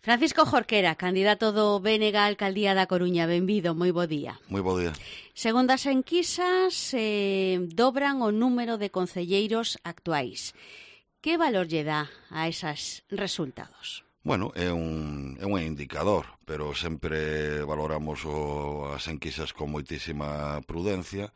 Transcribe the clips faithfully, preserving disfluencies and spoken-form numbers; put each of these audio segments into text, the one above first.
Francisco Jorquera, candidato do B N G á Alcaldía da Coruña. Benvido, moi bo día. Moi bo día. Segundo as enquisas, eh, dobran o número de concelleiros actuais. Que valor lle dá a esos resultados? Bueno, é un, é un indicador, pero sempre valoramos o, as enquisas con moitísima prudencia,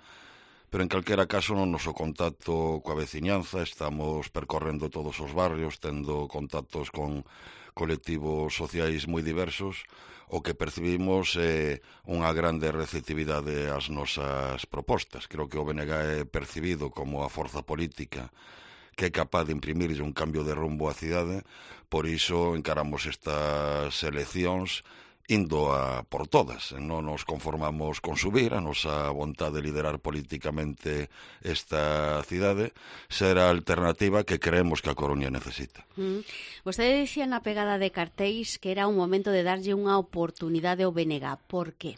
pero en calquera caso no noso contacto coa veciñanza estamos percorrendo todos os barrios, tendo contactos con colectivos sociais moi diversos. O que percibimos é unha grande receptividade ás nosas propostas. Creo que o B N G é percibido como a forza política que é capaz de imprimirlle un cambio de rumbo á cidade, por iso encaramos estas eleccións indo a por todas. Non nos conformamos con subir, a nosa vontade de liderar políticamente esta cidade será a alternativa que creemos que a Coruña necesita. Mm. Vostede dicía na pegada de cartéis que era un momento de darlle unha oportunidade ao B N G. Por que?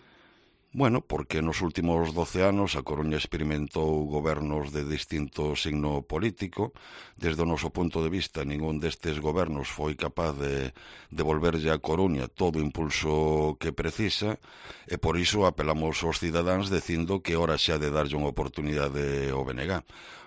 Bueno, porque nos últimos doce anos a Coruña experimentou gobernos de distinto signo político. Desde o noso punto de vista, ningún destes gobernos foi capaz de devolverlle a Coruña todo o impulso que precisa, e por iso apelamos aos cidadáns dicindo que ora xa de darlle unha oportunidade ao B N G.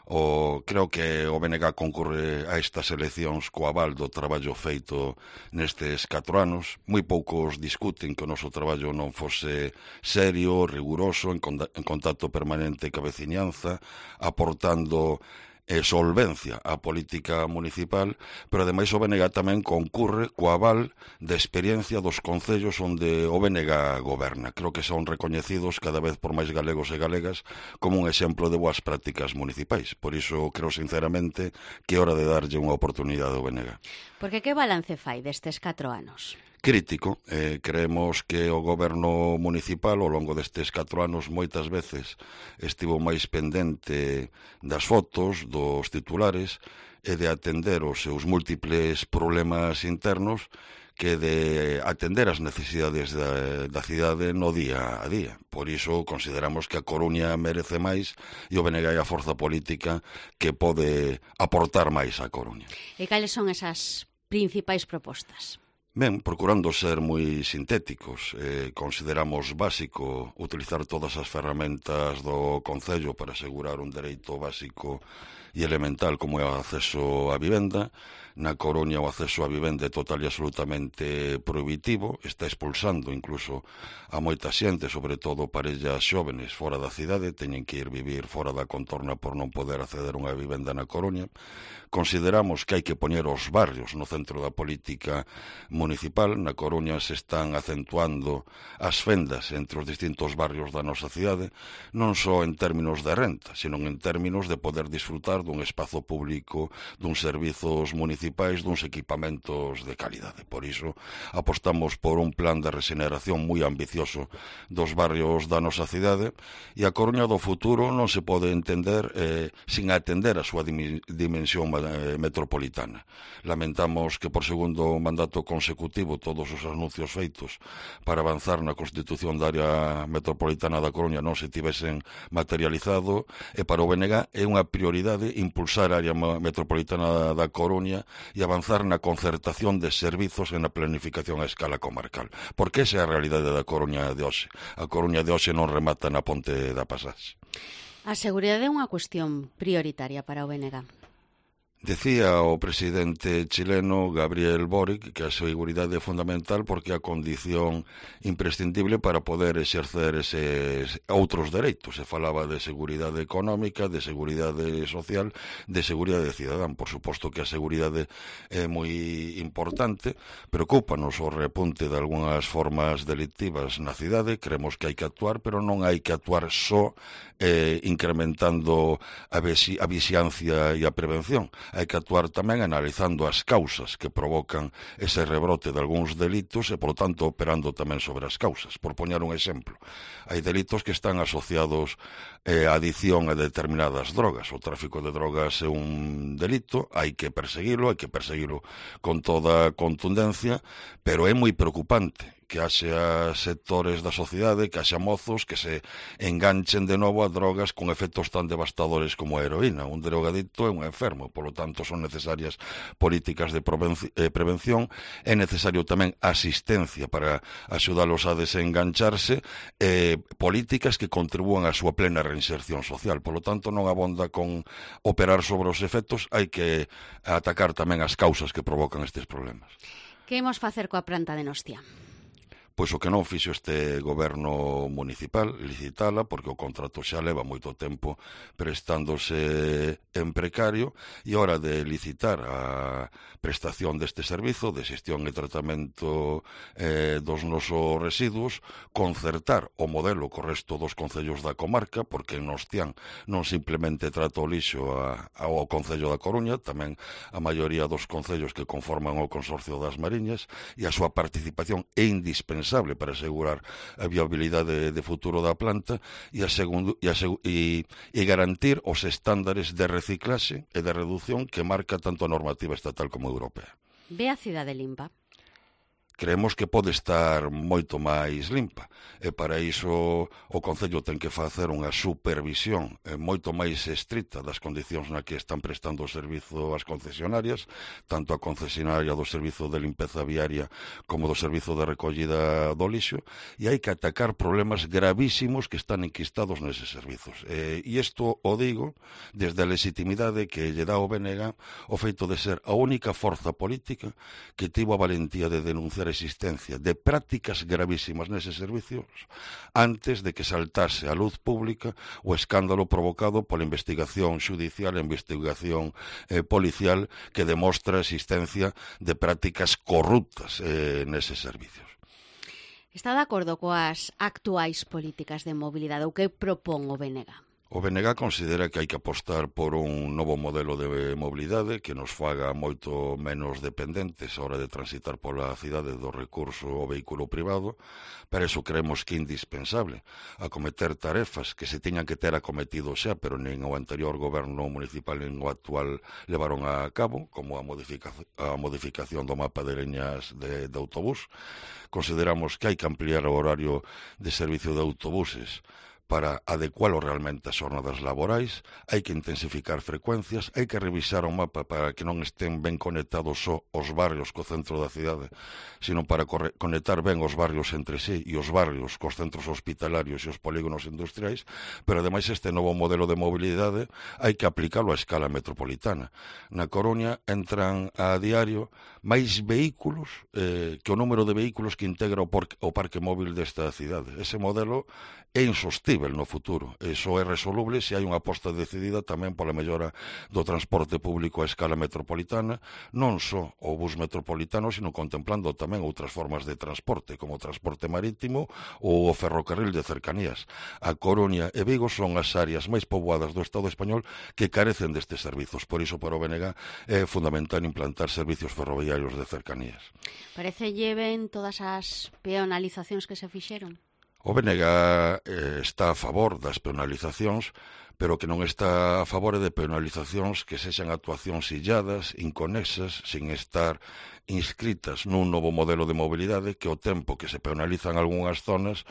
O, creo que o B N G concurre a estas eleccións co aval do traballo feito nestes catro anos. Moi poucos discuten que o noso traballo non fose serio, riguroso, en, en contacto permanente ca veciñanza, aportando e solvencia á política municipal, pero ademais o B N G tamén concurre co aval de experiencia dos concellos onde o B N G goberna. Creo que son recoñecidos cada vez por máis galegos e galegas como un exemplo de boas prácticas municipais. Por iso creo sinceramente que é hora de darlle unha oportunidade ao B N G. Porque que balance fai destes catro anos? Crítico. Eh, creemos que o goberno municipal ao longo destes catro anos moitas veces estivo máis pendente das fotos, dos titulares e de atender os seus múltiples problemas internos que de atender as necesidades da, da cidade no día a día. Por iso consideramos que a Coruña merece máis e o B N G é a forza política que pode aportar máis á Coruña. E cales son esas principais propostas? Ben, procurando ser moi sintéticos, eh, consideramos básico utilizar todas as ferramentas do Concello para asegurar un dereito básico e elemental como é o acceso á vivenda. Na Coruña o acceso á vivenda é total e absolutamente prohibitivo, está expulsando incluso a moita xente, sobre todo parellas xóvenes fora da cidade, teñen que ir vivir fora da contorna por non poder acceder a unha vivenda na Coruña. Consideramos que hai que poñer os barrios no centro da política municipal. Na Coruña se están acentuando as fendas entre os distintos barrios da nosa cidade, non só en términos de renta, sino en términos de poder disfrutar dun espazo público, duns servizos municipais, duns equipamentos de calidade. Por iso apostamos por un plan de regeneración moi ambicioso dos barrios da nosa cidade, e a Coruña do futuro non se pode entender eh, sin atender a súa dimensión metropolitana. Lamentamos que por segundo mandato consecutivo todos os anuncios feitos para avanzar na constitución da área metropolitana da Coruña non se tivesen materializado, e para o B N G é unha prioridade impulsar a área metropolitana da Coruña e avanzar na concertación de servizos e na planificación a escala comarcal. Porque esa é a realidade da Coruña de hoxe. A Coruña de hoxe non remata na ponte da Pasaxe. A seguridade é unha cuestión prioritaria para o B N G. Decía o presidente chileno Gabriel Boric que a seguridade é fundamental porque é a condición imprescindible para poder exercer eses outros dereitos. Se falaba de seguridade económica, de seguridade social, de seguridade cidadán. Por suposto que a seguridade é moi importante, preocúpanos o repunte de algunhas formas delictivas na cidade, creemos que hai que actuar, pero non hai que actuar só eh, incrementando a, visi, a vixiancia e a prevención. Hai que actuar tamén analizando as causas que provocan ese rebrote de algúns delitos e, por tanto, operando tamén sobre as causas. Por poñer un exemplo, hai delitos que están asociados eh, a adicción a determinadas drogas. O tráfico de drogas é un delito, hai que perseguilo, hai que perseguilo con toda contundencia, pero é moi preocupante que haxa sectores da sociedade, que haxa mozos que se enganchen de novo a drogas con efectos tan devastadores como a heroína. Un drogadicto é un enfermo, polo tanto son necesarias políticas de prevención, é necesario tamén asistencia para axudalos a desengancharse, e políticas que contribúan á súa plena reinserción social. Polo tanto, non abonda con operar sobre os efectos, hai que atacar tamén as causas que provocan estes problemas. Que imos facer coa planta de Nostia? Pois o que non fixo este goberno municipal, licitala, porque o contrato xa leva moito tempo prestándose en precario, e hora de licitar a prestación deste servizo de xestión e tratamento eh, dos nosos residuos, concertar o modelo co resto dos concellos da comarca, porque en Nostián non simplemente trata o lixo a, ao Concello da Coruña, tamén a maioría dos concellos que conforman o Consorcio das Mariñas, e a súa participación é indispensable para asegurar a viabilidade de futuro da planta e, a segundo, e, a, e, e garantir os estándares de reciclaxe e de reducción que marca tanto a normativa estatal como europea. Ve a cidade limpa? Creemos que pode estar moito máis limpa, e para iso o Concello ten que facer unha supervisión moito máis estricta das condicións na que están prestando o servizo as concesionarias, tanto a concesionaria do servizo de limpeza viaria como do servizo de recollida do lixo, e hai que atacar problemas gravísimos que están enquistados neses servizos. E isto o digo desde a legitimidade que lle dá o B N G o feito de ser a única forza política que tivo a valentía de denunciar a existencia de prácticas gravísimas neses servicios antes de que saltase á luz pública o escándalo provocado pola investigación xudicial e investigación eh, policial que demostra a existencia de prácticas corruptas eh, neses servicios. Está de acordo coas actuais políticas de mobilidade ou que propón o B N G? O B N G considera que hai que apostar por un novo modelo de mobilidade que nos faga moito menos dependentes a hora de transitar pola cidade do recurso ao vehículo privado. Para iso creemos que é indispensable acometer tarefas que se tiñan que ter acometido xa, pero nin o anterior goberno municipal nin o actual levaron a cabo, como a modificación, a modificación do mapa de liñas de, de autobús. Consideramos que hai que ampliar o horario de servicio de autobuses para adecualo realmente ás jornadas laborais, hai que intensificar frecuencias, hai que revisar o mapa para que non estén ben conectados só os barrios co centro da cidade, sino para conectar ben os barrios entre sí e os barrios cos centros hospitalarios e os polígonos industriais, pero ademais este novo modelo de mobilidade hai que aplicalo á escala metropolitana. Na Coruña entran a diario máis vehículos eh, que o número de vehículos que integra o, por, o parque móvil desta cidade. Ese modelo é insostível no futuro. Iso é resoluble se hai unha aposta decidida tamén pola mellora do transporte público a escala metropolitana, non só o bus metropolitano, sino contemplando tamén outras formas de transporte, como o transporte marítimo ou o ferrocarril de cercanías. A Coruña e Vigo son as áreas máis poboadas do Estado español que carecen destes servizos. Por iso, para o B N G é fundamental implantar servicios ferroviarios de cercanías. Parece lleven todas as peonalizacións que se fixeron? O B N G eh, está a favor das penalizacións, pero que non está a favor de penalizacións que sexan actuacións illadas, inconexas, sin estar inscritas nun novo modelo de mobilidade que o tempo que se penalizan algunhas zonas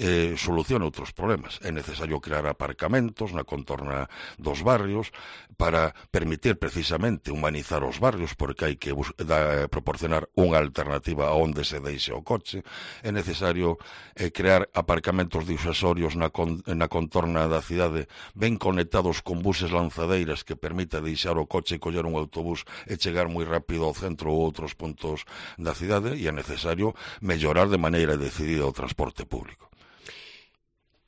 eh, soluciona outros problemas. É necesario crear aparcamentos na contorna dos barrios para permitir precisamente humanizar os barrios, porque hai que da, proporcionar unha alternativa a onde se deixe o coche. É necesario eh, crear aparcamentos disuasorios na, con, na contorna da cidade ben conectados con buses lanzadeiras que permita deixar o coche e coller un autobús e chegar moi rápido ao centro ou outros puntos da cidade, e é necesario mellorar de maneira decidida o transporte público.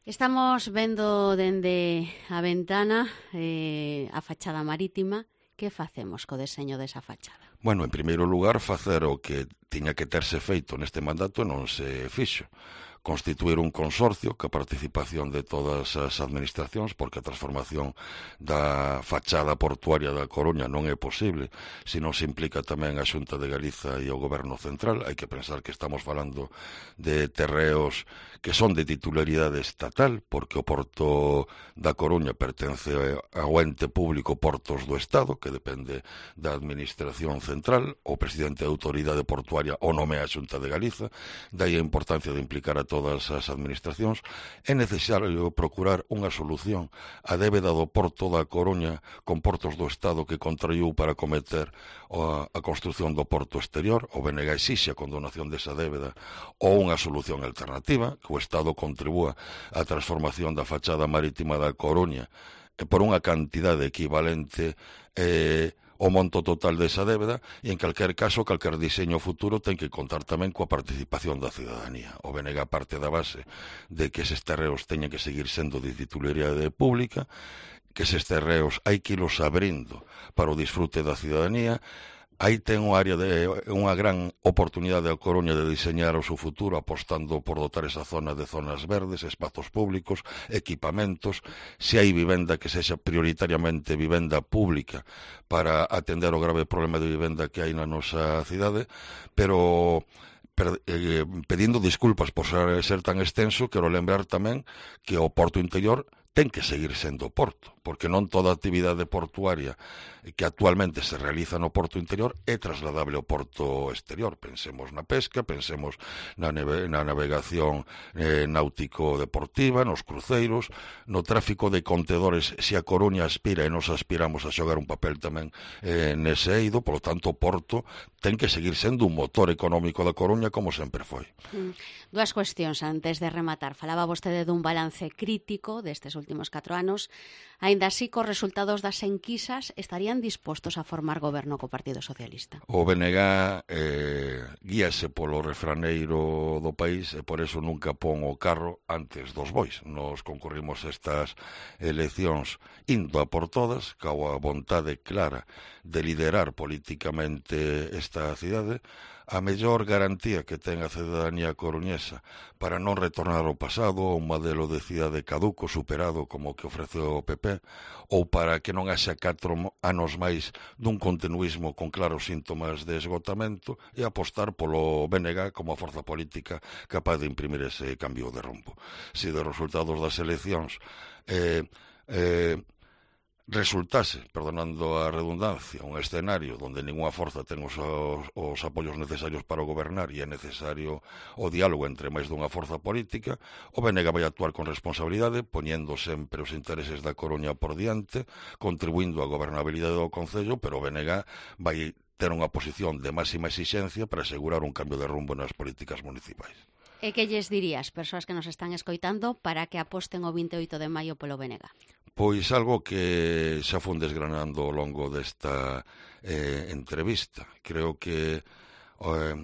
Estamos vendo dende a ventana eh, a fachada marítima. Que facemos co deseño desa fachada? Bueno, en primeiro lugar, facer o que tiña que terse feito neste mandato non se fixo. constituir un consorcio ca participación de todas as administracións, porque a transformación da fachada portuaria da Coruña non é posible se non se implica tamén a Xunta de Galiza e o Goberno Central. Hai que pensar que estamos falando de terreos que son de titularidade estatal, porque o Porto da Coruña pertence ao ente público Portos do Estado, que depende da Administración Central. O presidente da Autoridade Portuaria o nomea a Xunta de Galiza, dai a importancia de implicar a todas as administracións. É necesario procurar unha solución á débeda do Porto da Coruña con Portos do Estado que contraiu para cometer a, a construción do Porto Exterior. O B N G exixe a condonación desa débeda ou unha solución alternativa, que o Estado contribúa á transformación da fachada marítima da Coruña por unha cantidade equivalente eh, o monto total desa débeda, e en calquer caso, calquer diseño futuro ten que contar tamén coa participación da ciudadanía. O B N G parte da base de que eses terreos teñen que seguir sendo de titularidade pública, que eses terreos hai que ilos abrindo para o disfrute da ciudadanía. Aí ten unha área de unha gran oportunidade a Coruña de diseñar o seu futuro, apostando por dotar esa zona de zonas verdes, espazos públicos, equipamentos. Se hai vivenda, que sexa prioritariamente vivenda pública para atender o grave problema de vivenda que hai na nosa cidade, pero per, eh, pedindo disculpas por ser, ser tan extenso, quero lembrar tamén que o Porto Interior ten que seguir sendo porto, porque non toda a actividade portuaria que actualmente se realiza no Porto Interior é trasladable ao Porto Exterior. Pensemos na pesca, pensemos na, neve, na navegación eh, náutico-deportiva, nos cruceiros, no tráfico de contedores. Se a Coruña aspira e nos aspiramos a xogar un papel tamén eh, nese eido, polo tanto o Porto ten que seguir sendo un motor económico da Coruña como sempre foi. Mm. Dúas cuestións antes de rematar. Falaba vostede dun balance crítico destes últimos catro anos. Aínda así, cos resultados das enquisas, estarían dispostos a formar goberno co Partido Socialista? O B N G eh, guíase polo refraneiro do país e por eso nunca pon o carro antes dos bois. Nos concurrimos estas eleccións indo a por todas, coa vontade clara de liderar políticamente esta cidade. A mellor garantía que ten a ciudadanía coruñesa para non retornar ao pasado, a un modelo de cidade caduco, superado como o que ofreceu o P P, ou para que non haxa catro anos máis dun continuismo con claros síntomas de esgotamento, e apostar polo B N G como a forza política capaz de imprimir ese cambio de rumbo. Se de resultados das eleccións eh, eh, resultase, perdonando a redundancia, un escenario onde ninguna forza ten os, os, os apoios necesarios para gobernar e é necesario o diálogo entre máis dunha forza política, o B N G vai actuar con responsabilidade, poñendo sempre os intereses da Coruña por diante, contribuindo á gobernabilidade do Concello, pero o B N G vai ter unha posición de máxima exixencia para asegurar un cambio de rumbo nas políticas municipais. E que lles dirías, persoas que nos están escoitando, para que aposten o vinte e oito de maio polo B N G? Pois algo que xa fun desgranando ao longo desta eh, entrevista. Creo que eh,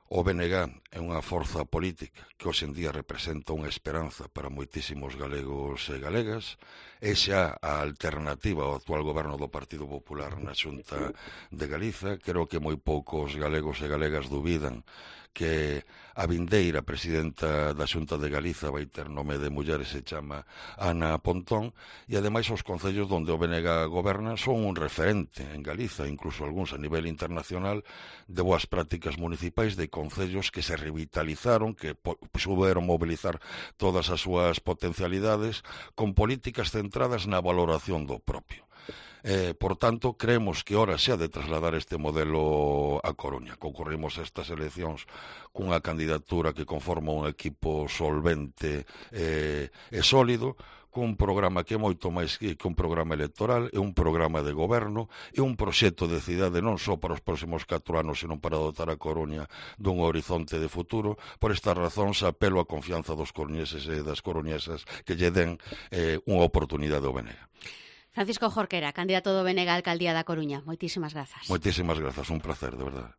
o B N G é unha forza política que hoxe en día representa unha esperanza para moitísimos galegos e galegas. É xa a alternativa ao actual goberno do Partido Popular na Xunta de Galiza. Creo que moi poucos galegos e galegas dubidan que a vindeira presidenta da Xunta de Galiza vai ter nome de muller e se chama Ana Pontón, e ademais os concellos onde o B N G goberna son un referente en Galiza, incluso algúns a nivel internacional, de boas prácticas municipais, de concellos que se revitalizaron, que souberon mobilizar todas as súas potencialidades con políticas centradas na valoración do propio. Eh, por tanto, creemos que hora xa de trasladar este modelo a Coruña. Concorrimos a estas eleccións cunha candidatura que conforma un equipo solvente eh, e sólido, cun programa que é moito máis que un programa electoral, é un programa de goberno, é un proxecto de cidade non só para os próximos catro anos, senón para dotar a Coruña dun horizonte de futuro. Por estas razóns, apelo a confianza dos coruñeses e das coruñesas que lle den eh, unha oportunidade ao B N G. Francisco Jorquera, candidato do B N G á Alcaldía da Coruña. Moitísimas grazas. Moitísimas grazas, un placer, de verdade.